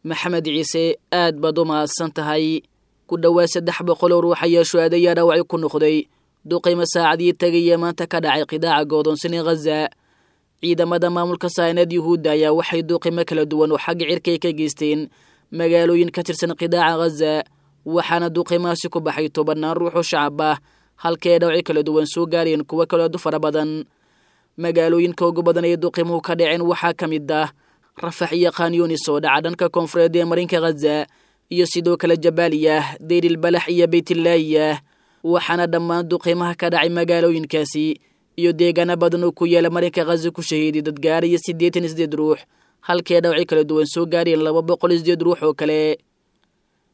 Maxamed Ciise, aad baad u mahadsan tahay. Ku dhowaad 300 oo ruux ayaa shuhaadayaa dhaawacyo ku noqday duqaymo saacadii tegaya maanta ka dhacay qidaaca godoonsan ee Khaza. Ciidamada maamulka saaneed Yuhuudda ayaa waxay duqaymo kala duwan oo xagga cirkay ka geysteen magaalooyin ka tirsan qidaaca Khaza, waxaana duqaymahaasi ku baxay tobannaan ruux oo shacab ah, halka ay dhawacyo kala duwan soo gaareen kuwo kaloo aad u fara badan. Magaalooyinka ugu badan ee duqaymuhu ka dhaceen waxaa ka mid ah Rafax iyo Khanyunis oo dhaca dhanka koonfureed ee marinka Khaza, iyo sidoo kale Jabaaliyah, Deyrilbalax iyo Beytlaayah. Waxaana dhammaan duqaymaha ka dhacay magaalooyinkaasi iyo deegaano badan oo ku yaala marinka Khaza ku shahiiday dad gaaraya 88 ruux, halkii ay dhawacyo kala duwan soo gaareen 208 ruux oo kale.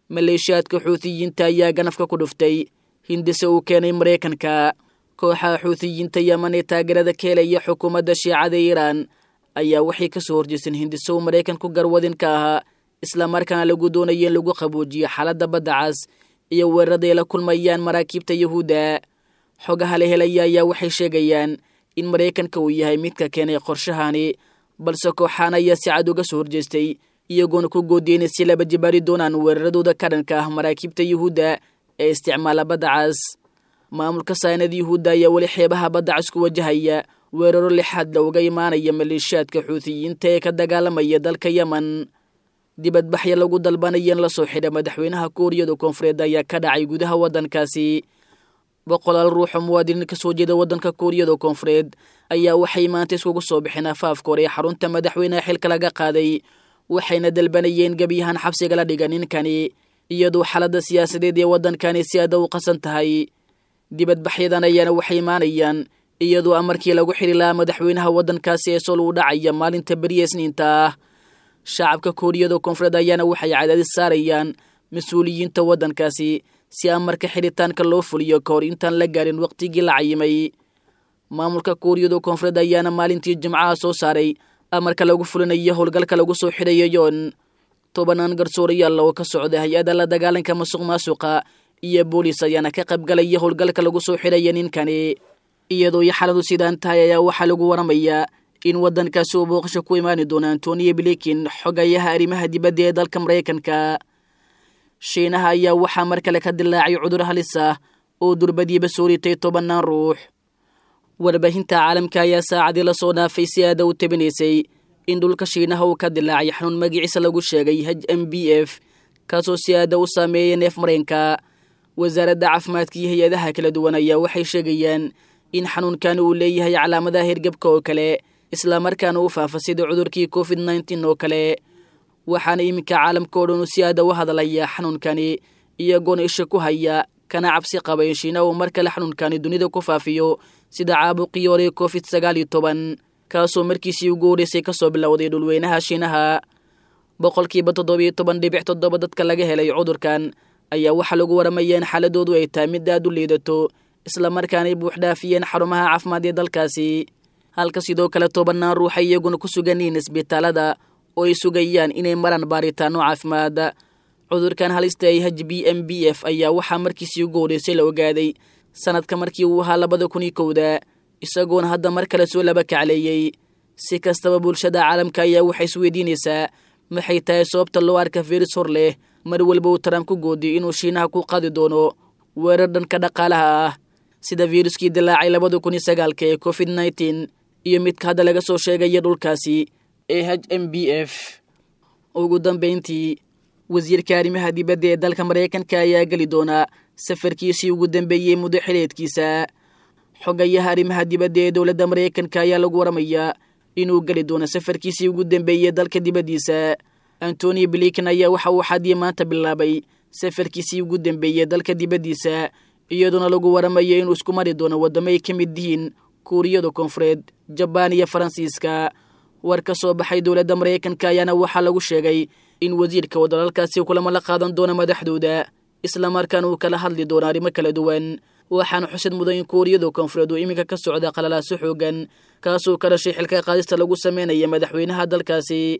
Maleeshiyaadka Xuutiyiinta ayaa ganafka ku dhuftay hindise uu keenay Maraykanka. Kooxaha Xuutiyiinta Yeman ee taageerada ka helaya xukuumadda Shiicada Iiraan ayaa waxay kasoo horjeesteen hindise uu Maraykanku garwadin ka ahaa, islamarkaana lagu doonaya in lagu qaboojiyo xaaladda badda cas iyo weerarada ay la kulmayaan maraakiibta Yuhuudda. Xogaha la helaya ayaa waxay sheegayaan in Maraykanka uu yahay midka keenay qorshahani, balse kooxaan ayaa si cad uga soo horjeestay, iyagoona ku goodiyey inay si laba jibaari doonaan weeraradooda ka dhanka ah maraakiibta Yuhuudda ee isticmaala badda cas. Maamulka saanad Yuhuudda ayaa weli xeebaha badda cas ku wajahaya weeraro lixaad looga imaanaya maleeshiyaadka Xuutiyiinta ee ka dagaalamaya dalka Yemen. Dibadbaxyo lagu dalbanaya in lasoo xidha madaxweynaha Kuuriyada Koonfureed ayaa ka dhacay gudaha waddankaasi. Boqolaal ruux oo muwaadiniin ka soo jeeda waddanka Kuuriyada Koonfureed ayaa waxay maanta iskugu soo bixeen afaafka hore ee xarunta madaxweynaha xilka laga qaaday, waxayna dalbanayeen gebiyahan xabsiga la dhiga ninkani, iyadoo xaaladda siyaasadeed ee waddankani si aada u qasan tahay. Dibadbaxyadan ayaana waxay imaanayaan iyadoo amarkii lagu xiri lahaa madaxweynaha waddankaasi ee Sool uu dhacaya maalinta beriya Isniinta ah. Shacabka Kuuriyada Koonfureed ayaana waxay cadaadis saarayaan mas-uuliyiinta waddankaasi si amarka xiritaanka loo fuliyo ka hor intaan la gaarin waqtigii la cayimay. Maamulka Kuuriyada Koonfureed ayaana maalintii Jimcaha soo saaray amarka lagu fulinayo howlgalka lagu soo xidhayo Yoon. Tobanaan garsoorayaal oo ka socda hay-adda la dagaalanka masuq maasuqa iyo booliis ayaana ka qaybgalaya howlgalka lagu soo xidhaya ninkani. Iyadoo iyo xaaladu sidaan tahay ayaa waxaa lagu waramayaa in waddankaasi uu booqasho ku imaani doono Antonio Blinken, xogayaha arrimaha dibadda ee dalka Maraykanka. Shiinaha ayaa waxaa mar kale ka dilaacay cudur halis ah oo durbadiiba soo ritay tobannaan ruux. Warbaahinta caalamka ayaa saacadii lasoo dhaafay si aada u tabinaysay in dhulka Shiinaha uu ka dilaacay xanuun magaciisa lagu sheegay HMBF, kaasoo si aada u saameeyay neef mareenka. Wasaaradda caafimaadka iyo hay-adaha kala duwan ayaa waxay sheegayaan in xanuunkan uu leeyahay calaamadaha hergebka oo kale, islamarkaana u faafa sida cudurkii COVID-19 oo kale. Waxaana iminka caalamka oo dhan uu si aada u hadalaya xanuunkani, iyagoona isha ku haya kana cabsi qaba in Shiina uu mar kale xanuunkani dunida ku faafiyo sida caabuqii hore COVID-19, kaasoo markiisii ugu horreysay kasoo bilowday dhulweynaha Shiinaha. 17.7% dadka laga helay cudurkan ayaa waxaa lagu waramaya in xaaladoodu ay tahay mid aad u liidato, islamarkaanay buuxdhaafiyeen xarumaha caafimaad ee dalkaasi, halka sidoo kale tobannaan ruuxa iyaguna ku sugan yihiin isbitaalada oo ay sugayaan inay maraan baaritaano caafimaad. Cudurkan halista ay HBMBF ayaa waxaa markiisii ugu horreysay la ogaaday sanadka markii uu ahaa 2001-da, isagoona hadda mar kale soo laba kacleeyey. Si kastaba, bulshada caalamka ayaa waxay isweydiinaysaa maxay tahay sababta loo arka firis hor leh mar walba uu Trump ku goodiyay inuu Shiinaha ku qaadi doono weerar dhanka dhaqaalaha ah, sida firuskii dilaacay 2009-ka ee COVID-19 iyo midka hadda laga soo sheegaya dhulkaasi ee HMBF. Ugu dambeyntii, wasiirka arrimaha dibadda ee dalka Maraykanka ayaa geli doonaa safarkiisii ugu dambeeyey muddo xileedkiisa. Xogayaha arrimaha dibadda ee dowladda Maraykanka ayaa lagu waramayaa inuu geli doono safarkiisii ugu dambeeyey dalka dibaddiisa. Antony Blinken ayaa waxa uu xadii maanta bilaabay safarkiisii ugu dambeeyey dalka dibaddiisa, iyadoona lagu waramayo inuu isku mari doono waddamo ay ka mid yihiin Kuuriyada Koonfureed, Jabaan iyo Faransiiska. War ka soo baxay dowladda Maraykanka ayaana waxaa lagu sheegay in wasiirka uu dalalkaasi kulamo la qaadan doono madaxdooda, islamarkaana uu kala hadli doono arrimo kala duwan. Waxaana xusid mudan in Kuuriyada Koonfureed uu iminka ka socda qalalaaso xoogan, kaasoo ka dhashay xilka qaadista lagu sameynaya madaxweynaha dalkaasi.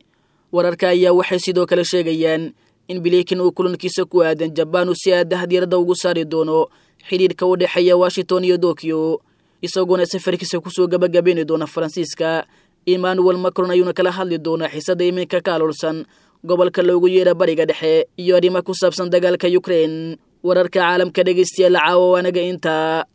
Wararka ayaa waxay sidoo kale sheegayaan in Blinken uu kulankiisa ku aadan Jabaan uu si aadaha diiradda ugu saari doono xidhiirka u dhexeeya Washington iyo Tokyo, isagoona safarkiisa kusoo gabagabayni doona Faransiiska. Emmanuel Macron ayuuna kala hadli doonaa xiisadda iminka ka aloolsan Gobolka loogu yeedha Bariga Dhexe iyo arrimo ku saabsan dagaalka Yukrein. Wararka caalamka dhegeystayaal caawa waanaga intaa.